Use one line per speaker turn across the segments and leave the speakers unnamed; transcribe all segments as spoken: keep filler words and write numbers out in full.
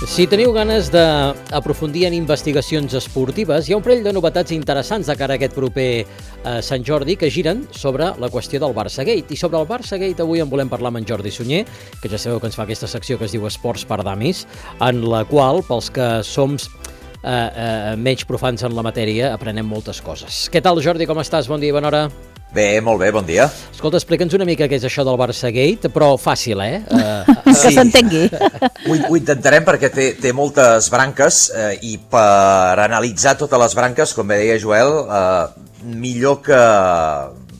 Si teniu ganes d'aprofundir en investigacions esportives, hi ha un parell de novetats interessants de cara a aquest proper eh, Sant Jordi que giren sobre la qüestió del Barçagate. I sobre el Barçagate avui en volem parlar amb en Jordi Sunyer, que ja sabeu que ens fa aquesta secció que es diu Esports per Damis, en la qual, pels que som eh, eh, menys profans en la matèria, aprenem moltes coses. Què tal, Jordi? Com estàs? Bon dia i bona hora.
Bé, molt bé, bon dia.
Escolta, explica'ns una mica què és això del Barçagate, però fàcil, eh? Uh,
que sí. S'entengui.
Ho, ho intentarem perquè té, té moltes branques eh, i per analitzar totes les branques, com bé deia Joel, eh, millor que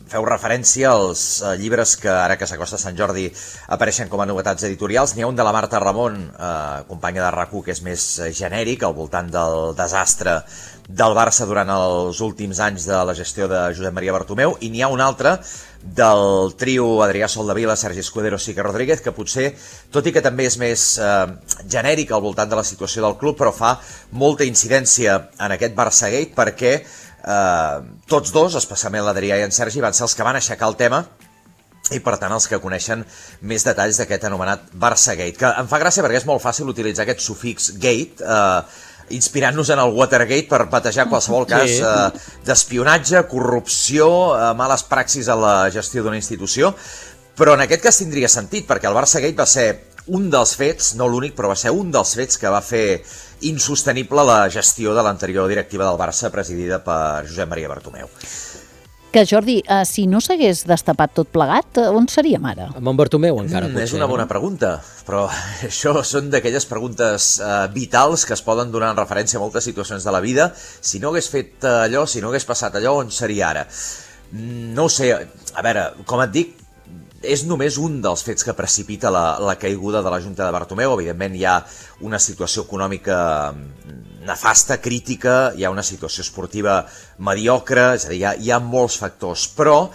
feu referència als eh, llibres que ara que s'acosta Sant Jordi apareixen com a novetats editorials. N'hi ha un de la Marta Ramon, eh, companya de RAC u, que és més genèric, al voltant del desastre del Barça durant els últims anys de la gestió de Josep Maria Bartomeu, i n'hi ha un altre del trio Adrià Soldevila, Sergi Escudero, Sique Rodríguez, que potser, tot i que també és més eh, genèric al voltant de la situació del club, però fa molta incidència en aquest Barçagate perquè eh, tots dos, especialment l'Adrià i en Sergi, van ser els que van aixecar el tema i per tant els que coneixen més detalls d'aquest anomenat Barçagate, que em fa gràcia perquè és molt fàcil utilitzar aquest sufix gate, eh, inspirant-nos en el Watergate per batejar qualsevol cas sí. eh, d'espionatge, corrupció, eh, males praxis a la gestió d'una institució, però en aquest cas tindria sentit, perquè el Barçagate va ser un dels fets, no l'únic, però va ser un dels fets que va fer insostenible la gestió de l'anterior directiva del Barça presidida per Josep Maria Bartomeu.
Que, Jordi, uh, si no s'hagués destapat tot plegat, on seríem ara?
Amb en Bartomeu encara,
mm,
potser.
És una bona no? pregunta, però això són d'aquelles preguntes uh, vitals que es poden donar en referència a moltes situacions de la vida. Si no hagués fet allò, si no hagués passat allò, on seria ara? No ho sé, a veure, com et dic, és només un dels fets que precipita la, la caiguda de la Junta de Bartomeu. Evidentment hi ha una situació econòmica nefasta, crítica, hi ha una situació esportiva mediocre, és a dir, hi ha, hi ha molts factors, però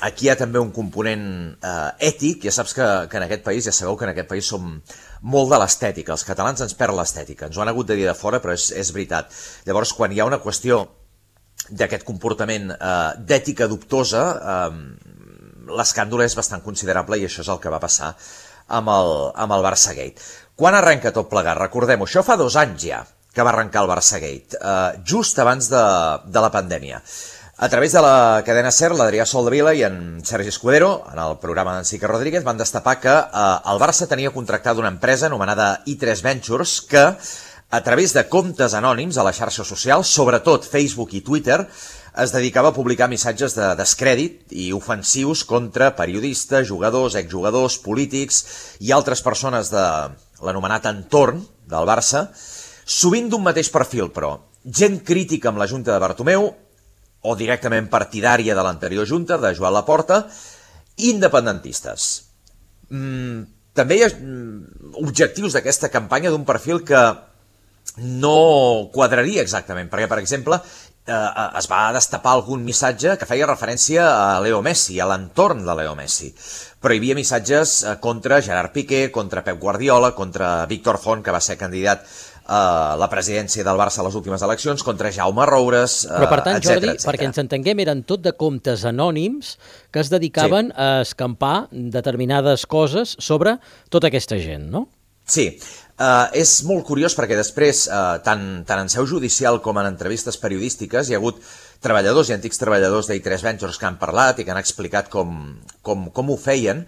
aquí hi ha també un component eh, ètic. Ja saps que, que en aquest país, ja sabeu que en aquest país som molt de l'estètica, els catalans ens perd l'estètica, ens ho han hagut de dir de fora, però és, és veritat. Llavors, quan hi ha una qüestió d'aquest comportament eh, d'ètica dubtosa, eh, l'escàndol és bastant considerable i això és el que va passar amb el, amb el Barçagate. Quan arrenca tot plegat? Recordem-ho, això fa dos anys ja que va arrencar el Barçagate, eh, just abans de, de la pandèmia. A través de la cadena SER, l'Adrià Soldevila i en Sergi Escudero, en el programa d'en Sique Rodríguez, van destapar que eh, el Barça tenia contractada una empresa anomenada i tres Ventures que, a través de comptes anònims a les xarxes socials, sobretot Facebook i Twitter, es dedicava a publicar missatges de descrèdit i ofensius contra periodistes, jugadors, exjugadors, polítics i altres persones de l'anomenat entorn del Barça, sovint d'un mateix perfil, però gent crítica amb la Junta de Bartomeu o directament partidària de l'anterior Junta, de Joan Laporta, i independentistes. Mm, també hi ha mm, objectius d'aquesta campanya d'un perfil que no quadraria exactament, perquè, per exemple, eh, es va destapar algun missatge que feia referència a Leo Messi, a l'entorn de Leo Messi, però hi havia missatges contra Gerard Piqué, contra Pep Guardiola, contra Víctor Font, que va ser candidat a la presidència del Barça a les últimes eleccions, contra Jaume Roures, etcètera.
Però per tant, Jordi, perquè ens entenguem, eren tot de comptes anònims que es dedicaven sí. a escampar determinades coses sobre tota aquesta gent, no?
Sí, uh, és molt curiós perquè després, uh, tant, tant en seu judicial com en entrevistes periodístiques, hi ha hagut treballadors i antics treballadors d'I tres Ventures que han parlat i que han explicat com, com, com ho feien,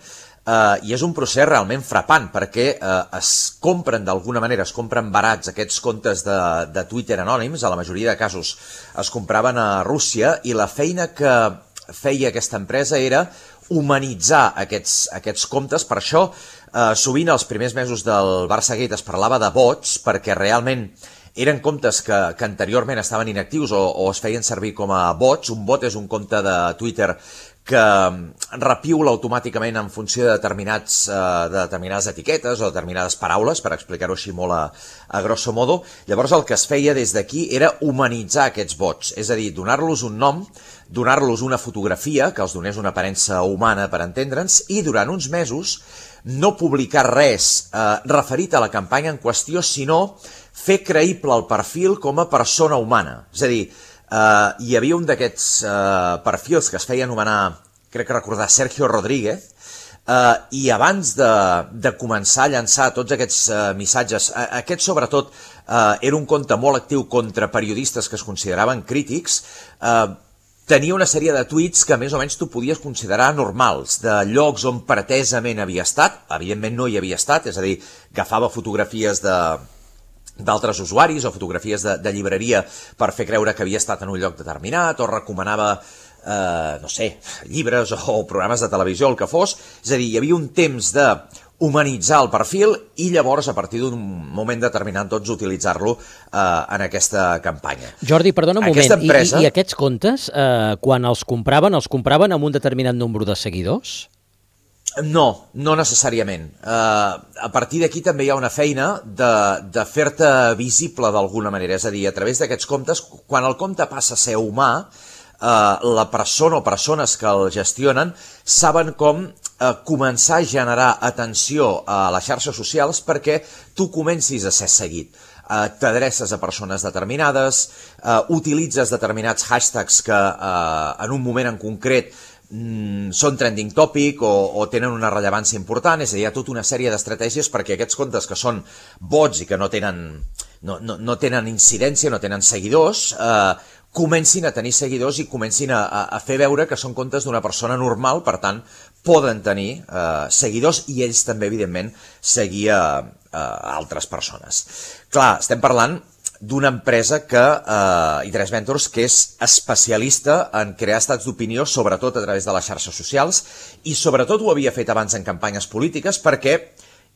uh, i és un procés realment frapant perquè uh, es compren d'alguna manera, es compren barats aquests comptes de, de Twitter anònims, a la majoria de casos es compraven a Rússia, i la feina que feia aquesta empresa era humanitzar aquests, aquests comptes. Per això, eh, sovint els primers mesos del Barçagate es parlava de bots, perquè realment eren comptes que, que anteriorment estaven inactius o, o es feien servir com a bots. Un bot és un compte de Twitter que repiula automàticament en funció de, determinats, eh, de determinades etiquetes o determinades paraules, per explicar-ho així molt a, a grosso modo. Llavors el que es feia des d'aquí era humanitzar aquests bots, és a dir, donar-los un nom, donar-los una fotografia que els donés una aparença humana, per entendre'ns, i durant uns mesos no publicar res eh, referit a la campanya en qüestió, sinó fer creïble el perfil com a persona humana. És a dir, Uh, hi havia un d'aquests uh, perfils que es feia anomenar, crec que recordar, Sergio Rodríguez, Uh, I abans de, de començar a llançar tots aquests uh, missatges, uh, aquest sobretot uh, era un compte molt actiu contra periodistes que es consideraven crítics, uh, tenia una sèrie de tuits que més o menys tu podies considerar normals, de llocs on pretesament havia estat, evidentment no hi havia estat, és a dir, agafava fotografies de d'altres usuaris o fotografies de, de llibreria per fer creure que havia estat en un lloc determinat o recomanava, eh, no sé, llibres o, o programes de televisió, el que fos. És a dir, hi havia un temps de humanitzar el perfil i llavors a partir d'un moment determinat tots utilitzar-lo eh, en aquesta campanya.
Jordi, perdona un
Aquesta
moment,
empresa...
I, i aquests comptes, eh, quan els compraven, els compraven amb un determinat nombre de seguidors?
No, no necessàriament. Uh, a partir d'aquí també hi ha una feina de, de fer-te visible d'alguna manera, és a dir, a través d'aquests comptes, quan el compte passa a ser humà, uh, la persona o persones que el gestionen saben com uh, començar a generar atenció a les xarxes socials perquè tu comencis a ser seguit. Uh, t'adreces a persones determinades, uh, utilitzes determinats hashtags que uh, en un moment en concret Mm, són trending topic o, o tenen una rellevància important, és a dir, hi ha tota una sèrie d'estratègies perquè aquests comptes que són bots i que no tenen, no, no, no tenen incidència, no tenen seguidors, eh, comencin a tenir seguidors i comencin a, a, a fer veure que són comptes d'una persona normal, per tant, poden tenir eh, seguidors i ells també, evidentment, seguir a, a altres persones. Clar, estem parlant d'una empresa que, eh, i tres Ventures, que és especialista en crear estats d'opinió, sobretot a través de les xarxes socials, i sobretot ho havia fet abans en campanyes polítiques perquè,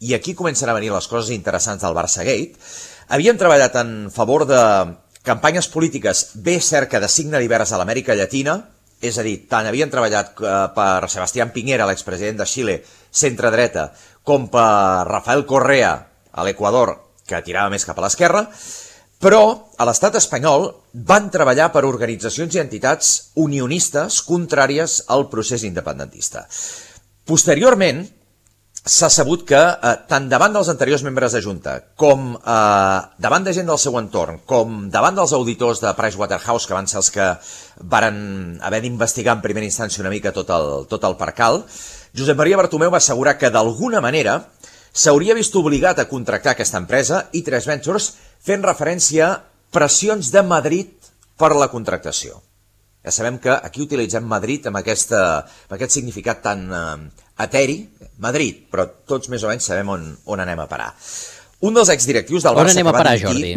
i aquí comencen a venir les coses interessants del Barçagate, havien treballat en favor de campanyes polítiques, bé cert que de signe divers a l'Amèrica Llatina, és a dir, tant havien treballat eh, per Sebastián Piñera, l'expresident de Xile, centre-dreta, com per Rafael Correa, a l'Equador, que tirava més cap a l'esquerra, però a l'estat espanyol van treballar per organitzacions i entitats unionistes contràries al procés independentista. Posteriorment, s'ha sabut que eh, tant davant dels anteriors membres de Junta, com eh, davant de gent del seu entorn, com davant dels auditors de Pricewaterhouse, que van ser els que varen haver d'investigar en primera instància una mica tot el, tot el percal, Josep Maria Bartomeu va assegurar que d'alguna manera s'hauria vist obligat a contractar aquesta empresa i tres Ventures fent referència a pressions de Madrid per la contractació. Ja sabem que aquí utilitzem Madrid amb, aquesta, amb aquest significat tan eh, eteri, Madrid, però tots més o menys sabem on, on anem a parar. Un dels exdirectius del Barça...
On anem a parar,
Jordi?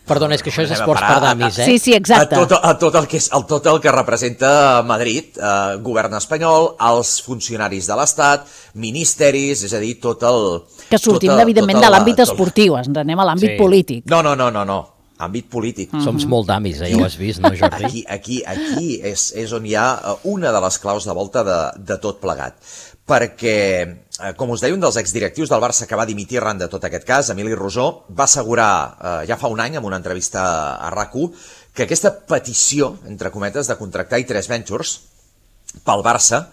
Perdona, és que això és esports per damis, eh?
Sí, sí, exacte.
A tot, a tot, el, que és, a tot el que representa Madrid, eh, govern espanyol, els funcionaris de l'Estat, ministeris, és a dir, tot el...
Que sortim,
tot el,
evidentment,
tot el,
de l'àmbit
tot...
esportiu, ens anem a l'àmbit
Sí.
polític.
No, no, no, no, no. Àmbit polític.
Mm-hmm. Som molt damis, eh? Ja ho has vist, no, Jordi?
Aquí, aquí, aquí és, és on hi ha una de les claus de volta de, de tot plegat. Perquè, com us deia, un dels exdirectius del Barça que va dimitir arran de tot aquest cas, Emili Rosó, va assegurar eh, ja fa un any, en una entrevista a RAC u, que aquesta petició, entre cometes, de contractar i tres Ventures pel Barça,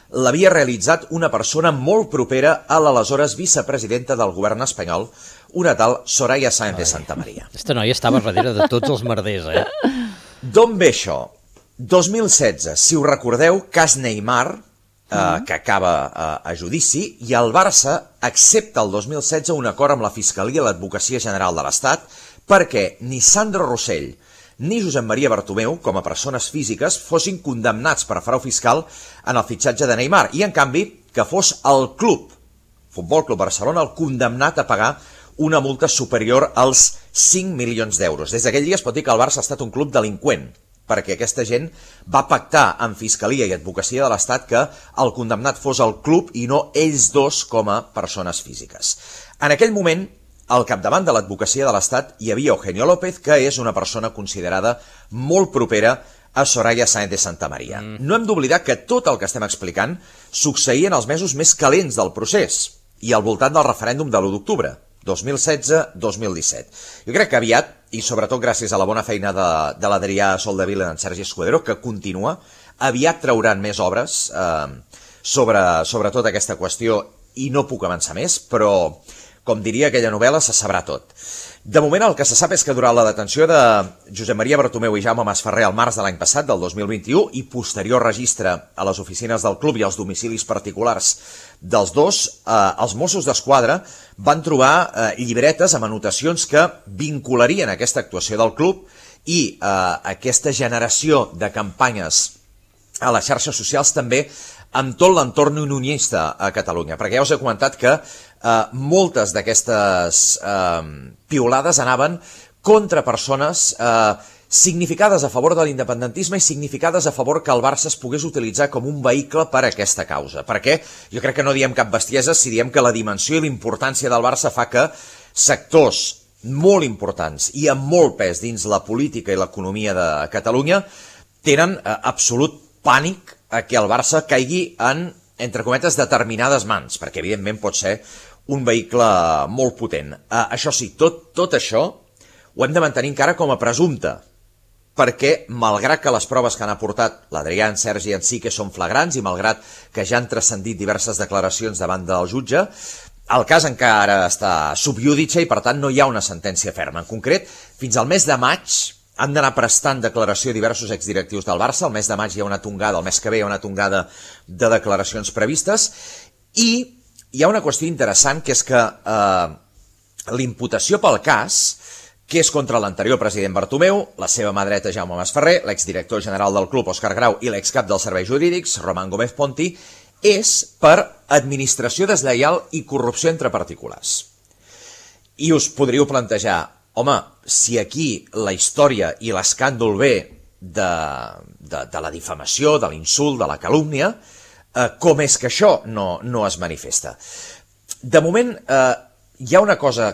l'havia realitzat una persona molt propera a l'aleshores vicepresidenta del govern espanyol, una tal Soraya Sáenz de Santamaría.
Aquesta noia estava darrere de tots els merders, eh?
D'on ve això? dos mil setze, si us recordeu, cas Neymar, eh, que acaba eh, a judici, i el Barça accepta el dos mil setze un acord amb la Fiscalia i l'Advocacia General de l'Estat perquè ni Sandro Rossell ni Josep Maria Bartomeu, com a persones físiques, fossin condemnats per frau fiscal en el fitxatge de Neymar, i en canvi que fos el club, Futbol Club Barcelona, el condemnat a pagar una multa superior als cinc milions d'euros. Des d'aquell dia es pot dir que el Barça ha estat un club delinqüent, perquè aquesta gent va pactar amb Fiscalia i Advocacia de l'Estat que el condemnat fos el club i no ells dos com a persones físiques. En aquell moment, al capdavant de l'Advocacia de l'Estat hi havia Eugenio López, que és una persona considerada molt propera a Soraya Sáenz de Santamaría. Mm. No hem d'oblidar que tot el que estem explicant succeïa en els mesos més calents del procés i al voltant del referèndum de l'u d'octubre, dos mil setze dos mil disset. Jo crec que aviat, i sobretot gràcies a la bona feina de, de l'Adrià Soldevila i en Sergi Escudero, que continua, aviat trauran més obres eh, sobre, sobre tota aquesta qüestió i no puc avançar més, però, com diria aquella novel·la, se sabrà tot. De moment, el que se sap és que durant la detenció de Josep Maria Bartomeu i Jaume Masferrer al març de l'any passat, del dos mil vint-i-u, i posterior registre a les oficines del club i als domicilis particulars dels dos, eh, els Mossos d'Esquadra van trobar eh, llibretes amb anotacions que vincularien aquesta actuació del club i eh, aquesta generació de campanyes a les xarxes socials també amb tot l'entorn unionista a Catalunya, perquè ja us he comentat que eh, moltes d'aquestes eh, piulades anaven contra persones eh, significades a favor de l'independentisme i significades a favor que el Barça es pogués utilitzar com un vehicle per a aquesta causa. Perquè jo crec que no diem cap bestiesa si diem que la dimensió i l'importància del Barça fa que sectors molt importants i amb molt pes dins la política i l'economia de Catalunya tenen eh, absolut pànic a que el Barça caigui en, entre cometes, determinades mans, perquè evidentment pot ser un vehicle molt potent. Uh, això sí, tot, tot això ho hem de mantenir encara com a presumpte, perquè malgrat que les proves que han aportat l'Adrià, en Sergi i en Sique són flagrants i malgrat que ja han transcendit diverses declaracions davant del jutge, el cas encara està sub judice i per tant no hi ha una sentència ferma. En concret, fins al mes de maig han d'anar prestant declaració diversos exdirectius del Barça. El mes de maig hi ha una tongada, el mes que ve hi ha una tongada de declaracions previstes i hi ha una qüestió interessant que és que eh, l'imputació pel cas, que és contra l'anterior president Bartomeu, la seva mà dreta Jaume Masferrer, l'exdirector general del club Òscar Grau i l'excap dels serveis jurídics Román Gómez Ponti, és per administració deslleial i corrupció entre particulars. I us podríeu plantejar, home, si aquí la història i l'escàndol ve de, de, de la difamació, de l'insult, de la calúmnia, eh, com és que això no, no es manifesta? De moment, eh, hi ha una cosa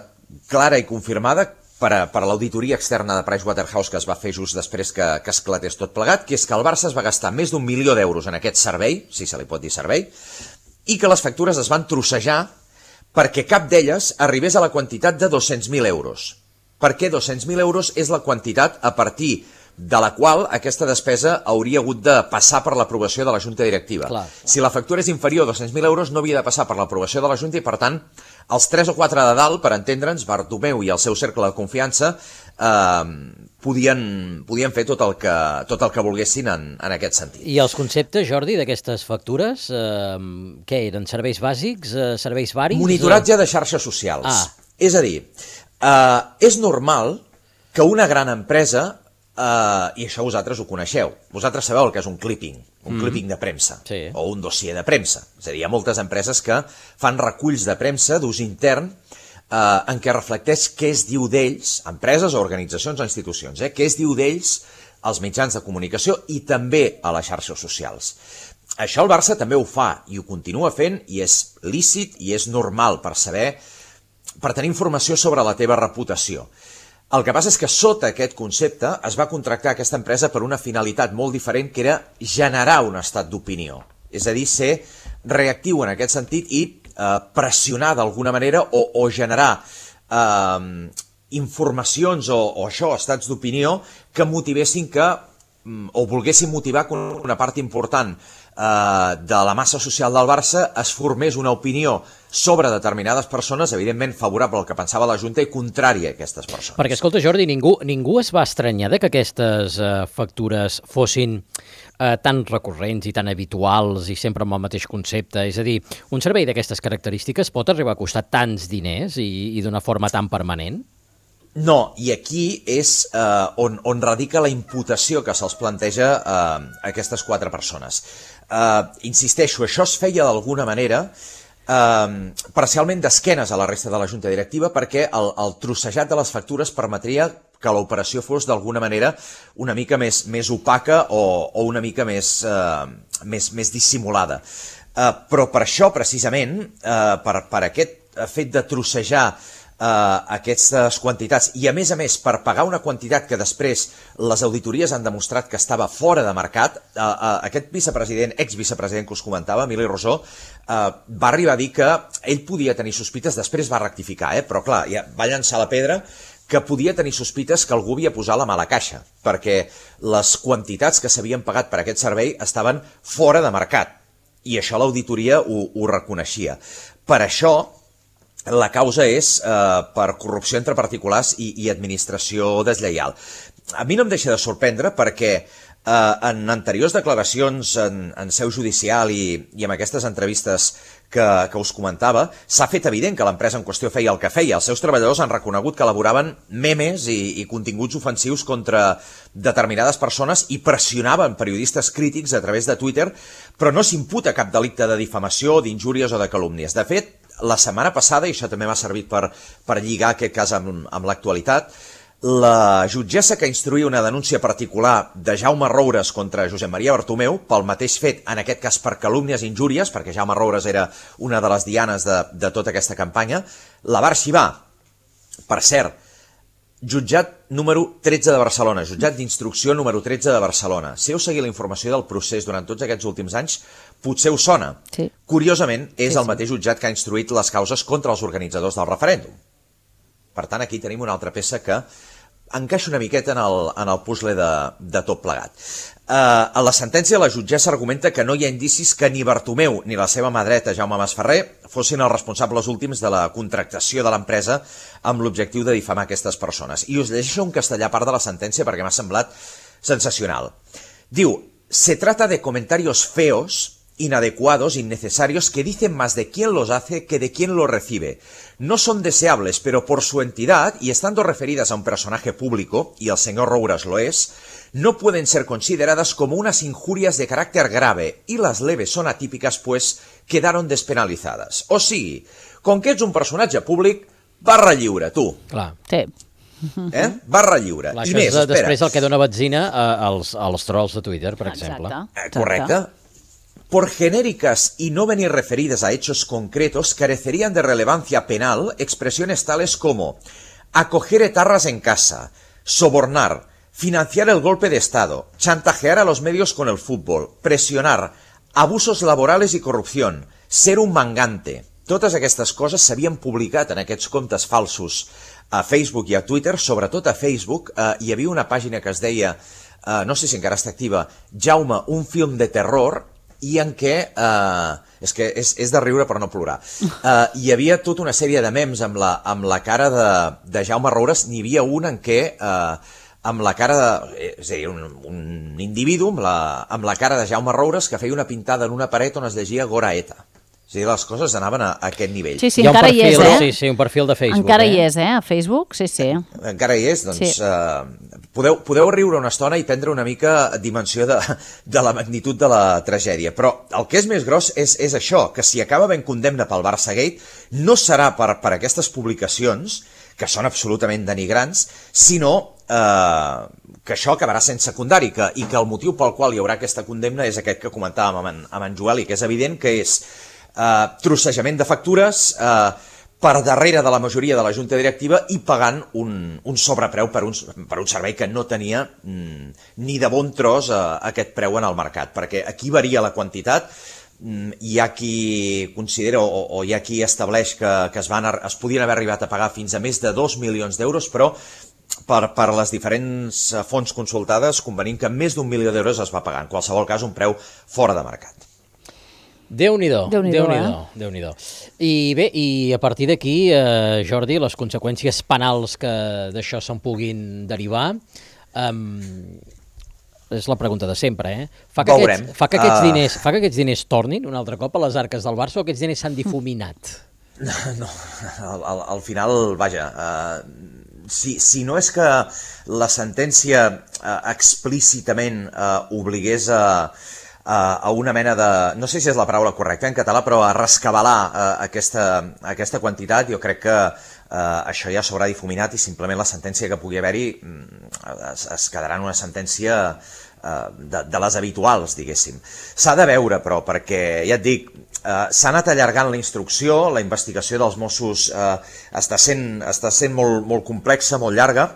clara i confirmada per a, per a l'auditoria externa de Pricewaterhouse que es va fer just després que, que esclatés tot plegat, que és que el Barça es va gastar més d'un milió d'euros en aquest servei, si se li pot dir servei, i que les factures es van trossejar perquè cap d'elles arribés a la quantitat de dos-cents mil euros. Perquè dos-cents mil euros és la quantitat a partir de la qual aquesta despesa hauria hagut de passar per l'aprovació de la Junta Directiva.
Clar, clar.
Si la factura és inferior a dos-cents mil euros no havia de passar per l'aprovació de la Junta i, per tant, els tres o quatre de dalt, per entendre'ns, Bartomeu i el seu cercle de confiança, eh, podien, podien fer tot el que, tot el que volguessin en, en aquest sentit.
I els conceptes, Jordi, d'aquestes factures, eh, què eren? Serveis bàsics? Eh, serveis varis?
Monitoratge de xarxes socials.
Ah.
És a dir, eh, és normal que una gran empresa, Uh, i això vosaltres ho coneixeu. Vosaltres sabeu el que és un clipping, un mm. clipping de premsa,
sí.
O un dossier de premsa. És a dir, hi ha moltes empreses que fan reculls de premsa d'ús intern uh, en què reflecteix què es diu d'ells, empreses o organitzacions o institucions, eh? Què es diu d'ells als mitjans de comunicació i també a les xarxes socials. Això el Barça també ho fa i ho continua fent i és lícit i és normal per saber, per tenir informació sobre la teva reputació. El que passa és que sota aquest concepte es va contractar aquesta empresa per una finalitat molt diferent, que era generar un estat d'opinió. És a dir, ser reactiu en aquest sentit i eh, pressionar d'alguna manera o, o generar eh, informacions o, o això, estats d'opinió, que motivessin que, o volguessin motivar que una part important eh, de la massa social del Barça es formés una opinió sobre determinades persones, evidentment favorable al que pensava la Junta i contrària a aquestes persones.
Perquè, escolta, Jordi, ningú, ningú es va estranyar de que aquestes eh, factures fossin eh, tan recurrents i tan habituals i sempre amb el mateix concepte. És a dir, un servei d'aquestes característiques pot arribar a costar tants diners i, i d'una forma tan permanent?
No, i aquí és eh, on, on radica la imputació que se'ls planteja eh, a aquestes quatre persones. Eh, insisteixo, això es feia d'alguna manera Uh, parcialment d'esquenes a la resta de la Junta Directiva perquè el, el trossejat de les factures permetria que l'operació fos d'alguna manera una mica més, més opaca o, o una mica més, uh, més, més dissimulada. Uh, però per això, precisament, uh, per, per aquest fet de trossejar Uh, aquestes quantitats i a més a més per pagar una quantitat que després les auditories han demostrat que estava fora de mercat, uh, uh, aquest vicepresident, ex-vicepresident que us comentava, Emili Rosó, uh, va arribar a dir que ell podia tenir sospites, després va rectificar, eh? Però clar, ja va llançar la pedra que podia tenir sospites que algú havia posat la mà a la caixa, perquè les quantitats que s'havien pagat per aquest servei estaven fora de mercat i això l'auditoria ho, ho reconeixia. Per això la causa és eh, per corrupció entre particulars i, i administració deslleial. A mi no em deixa de sorprendre perquè eh, en anteriors declaracions en, en seu judicial i, i en aquestes entrevistes que, que us comentava, s'ha fet evident que l'empresa en qüestió feia el que feia. Els seus treballadors han reconegut que elaboraven memes i, i continguts ofensius contra determinades persones i pressionaven periodistes crítics a través de Twitter, però no s'imputa cap delicte de difamació, d'injúries o de calúmnies. De fet, la setmana passada, i això també m'ha servit per, per lligar aquest cas amb, amb l'actualitat, la jutgessa que instruïa una denúncia particular de Jaume Roures contra Josep Maria Bartomeu, pel mateix fet, en aquest cas per calúmnies i injúries, perquè Jaume Roures era una de les dianes de, de tota aquesta campanya, la va arxivar. Per cert, jutjat número tretze de Barcelona, jutjat d'instrucció número tretze de Barcelona. Si heu seguit la informació del procés durant tots aquests últims anys, potser us sona.
Sí.
Curiosament, és
sí,
el mateix jutjat que ha instruït les causes contra els organitzadors del referèndum. Per tant, aquí tenim una altra peça que encaixa una miqueta en el, en el puzzle de, de tot plegat. Uh, a la sentència, la jutgessa argumenta que no hi ha indicis que ni Bartomeu ni la seva mà dreta, Jaume Masferrer, fossin els responsables últims de la contractació de l'empresa amb l'objectiu de difamar aquestes persones. I us llegeixo en castellà part de la sentència perquè m'ha semblat sensacional. Diu, se trata de comentarios feos, inadecuados, innecesarios, que dicen más de quién los hace que de quién los recibe. No son deseables, pero por su entidad, y estando referidas a un personaje público, y el señor Roures lo es, no pueden ser consideradas como unas injurias de carácter grave, y las leves son atípicas, pues quedaron despenalizadas. O sigui, com que ets un personatge públic, barra lliure, tu.
Clar.
Sí.
Eh? Barra lliure.
Clar,
I
això
més,
és de,
espera.
després el que dona benzina a- als, als trolls de Twitter, per
Exacte.
exemple.
Eh, Correcte. Por genéricas y no venir referidas a hechos concretos, carecerían de relevancia penal expresiones tales como acoger etarras en casa, sobornar, financiar el golpe de Estado, chantajear a los medios con el fútbol, presionar, abusos laborales y corrupción, ser un mangante. Totes aquestes coses s'havien publicat en aquests comptes falsos a Facebook i a Twitter, sobretot a Facebook. Eh, hi havia una pàgina que es deia, eh, no sé si encara està activa, Jaume, un film de terror, i en què, eh, és que és, és de riure per no plorar, eh, hi havia tota una sèrie de memes amb la, amb la cara de, de Jaume Roures. N'hi havia un en què, eh, amb la cara de, és a dir, un, un individu amb la, amb la cara de Jaume Roures que feia una pintada en una paret on es llegia Gora Eta. És a dir, les coses anaven a, a aquest nivell.
Sí, sí,
Hi ha un
encara
perfil,
hi és, eh?
Sí, sí, un perfil de Facebook.
Encara
eh?
hi és, eh? A Facebook, sí, sí.
Encara hi és, doncs
Sí.
eh, podeu, podeu riure una estona i prendre una mica dimensió de, de la magnitud de la tragèdia, però el que és més gros és, és això, que si acaba ben condemna pel Barça Gate, no serà per, per aquestes publicacions, que són absolutament denigrants, sinó eh, que això acabarà sent secundari, que, i que el motiu pel qual hi haurà aquesta condemna és aquest que comentàvem amb en, amb en Joel, i que és evident que és eh, trossejament de factures, eh, per darrere de la majoria de la Junta Directiva i pagant un, un sobrepreu per un, per un servei que no tenia mm, ni de bon tros eh, aquest preu en el mercat, perquè aquí varia la quantitat. Mm, hi ha qui considera o, o hi ha qui estableix que, que es, van, es podien haver arribat a pagar fins a més de dos milions d'euros, però per, per les diferents fonts consultades convenim que més d'un milió d'euros es va pagar, en qualsevol cas un preu fora de mercat.
Déu-n'hi-do,
Déu-n'hi-do,
Déu-n'hi-do,
eh?
Déu-n'hi-do. I bé, i a partir d'aquí, eh, Jordi, les conseqüències penals que d'això se'n puguin derivar, um, és la pregunta de sempre, eh? Fa que,
Veurem.
aquests, fa, que aquests
Uh.
diners, fa que aquests diners tornin un altre cop a les arques del Barça o aquests diners s'han difuminat?
No, al, al, al final, vaja, uh, si, si no és que la sentència uh, explícitament uh, obligués a, a, a una mena de, no sé si és la paraula correcta en català, però a rescabalar uh, aquesta, aquesta quantitat, jo crec que uh, això ja s'haurà difuminat i simplement la sentència que pugui haver-hi es, es quedarà en una sentència uh, de, de les habituals, diguéssim. S'ha de veure, però, perquè, ja et dic, Uh, s'ha anat allargant la instrucció, la investigació dels Mossos uh, està sent, està sent molt, molt complexa, molt llarga.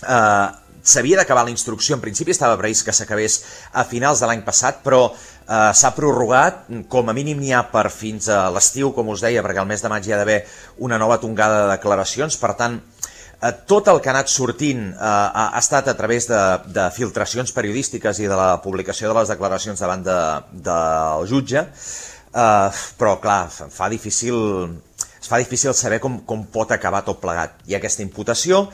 Uh, S'havia d'acabar la instrucció, en principi estava previst que s'acabés a finals de l'any passat, però uh, s'ha prorrogat, com a mínim n'hi ha per fins a l'estiu, com us deia, perquè al mes de maig hi ha d'haver una nova tongada de declaracions, per tant, uh, tot el que ha anat sortint uh, ha, ha estat a través de, de filtracions periodístiques i de la publicació de les declaracions davant de, del jutge. Uh, però clar, fa difícil es fa difícil saber com, com pot acabar tot plegat. Hi ha aquesta imputació,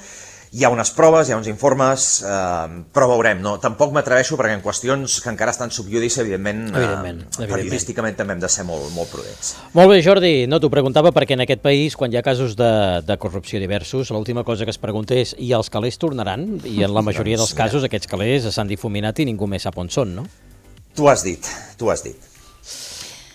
hi ha unes proves, hi ha uns informes, eh, però veurem, no? Tampoc m'atreveixo perquè en qüestions que encara estan sub judici, evidentment,
evidentment,
eh,
evidentment.
periodísticament també hem de ser molt, molt prudents.
Molt bé, Jordi, no t'ho preguntava perquè en aquest país, quan hi ha casos de, de corrupció diversos, l'última cosa que es pregunta és i els calés tornaran? I en la majoria
Doncs,
dels casos aquests calés s'han difuminat i ningú més sap on són, no?
Tu has dit, tu has dit.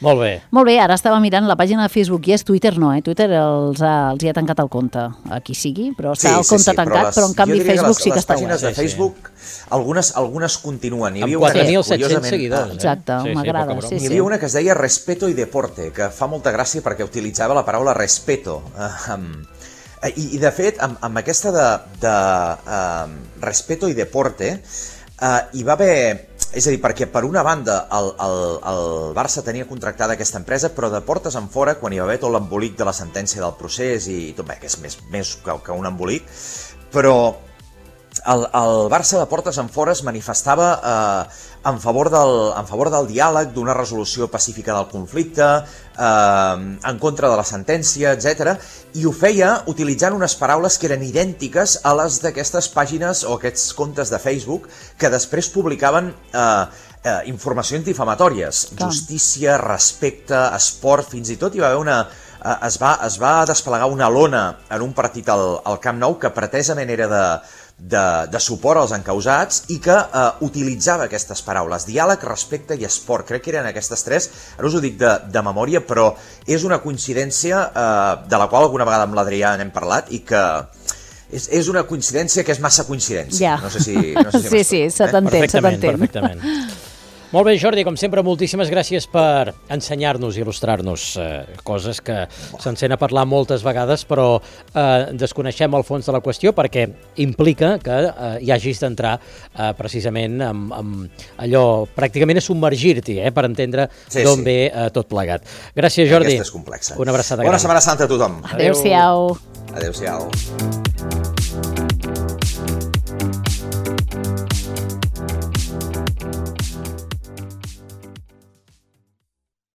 Molt bé.
Molt bé, ara estava mirant la pàgina de Facebook i és Twitter, no, eh? Twitter els ha, els hi ha tancat el compte, a qui sigui, però està el compte tancat, però, les, però en canvi Facebook
les,
sí que està
obert. Les pàgines de Facebook,
sí, sí.
algunes, algunes continuen. Hi
amb
havia
quatre mil
una,
set-cents seguidors.
Eh? Exacte,
sí,
m'agrada.
Sí,
sí, sí.
Hi havia una que es deia Respeto i Deporte, que fa molta gràcia perquè utilitzava la paraula respeto. Uh, um, i, I de fet, amb, amb aquesta de, de uh, Respeto i Deporte, uh, hi va haver... És a dir, perquè per una banda el, el, el Barça tenia contractada aquesta empresa, però de portes en fora, quan hi va haver tot l'embolic de la sentència del procés i tot, bé, que és més, més que, que un embolic, però el, el Barça de portes en fora es manifestava eh, en, favor del, en favor del diàleg, d'una resolució pacífica del conflicte, eh, en contra de la sentència, etcètera, i ho feia utilitzant unes paraules que eren idèntiques a les d'aquestes pàgines o aquests comptes de Facebook que després publicaven eh, eh, informacions difamatòries,
Clar.
justícia, respecte, esport, fins i tot hi va haver una... Eh, es, va, es va desplegar una lona en un partit al, al Camp Nou que pretesament era de, de, de suport als encausats i que eh, utilitzava aquestes paraules, diàleg, respecte i esport. Crec que eren aquestes tres, ara us ho dic de, de memòria, però és una coincidència eh, de la qual alguna vegada amb l'Adrià n'hem parlat i que és, és una coincidència que és massa coincidència.
Ja.
No sé si, no sé si
sí, sí, se t'entén, se
Perfectament,
t'entén.
perfectament. Molt bé, Jordi, com sempre, moltíssimes gràcies per ensenyar-nos i il·lustrar-nos eh, coses que se'n sent a parlar moltes vegades, però eh, desconeixem el fons de la qüestió perquè implica que eh, hi hagis d'entrar eh, precisament amb, amb allò, pràcticament a submergir-t'hi, eh, per entendre
Sí,
d'on
sí.
ve eh, tot plegat. Gràcies, Jordi.
Aquesta és complexa.
Una abraçada
Bona
gran.
Setmana Santa a tothom.
Adéu-siau.
Adéu-siau.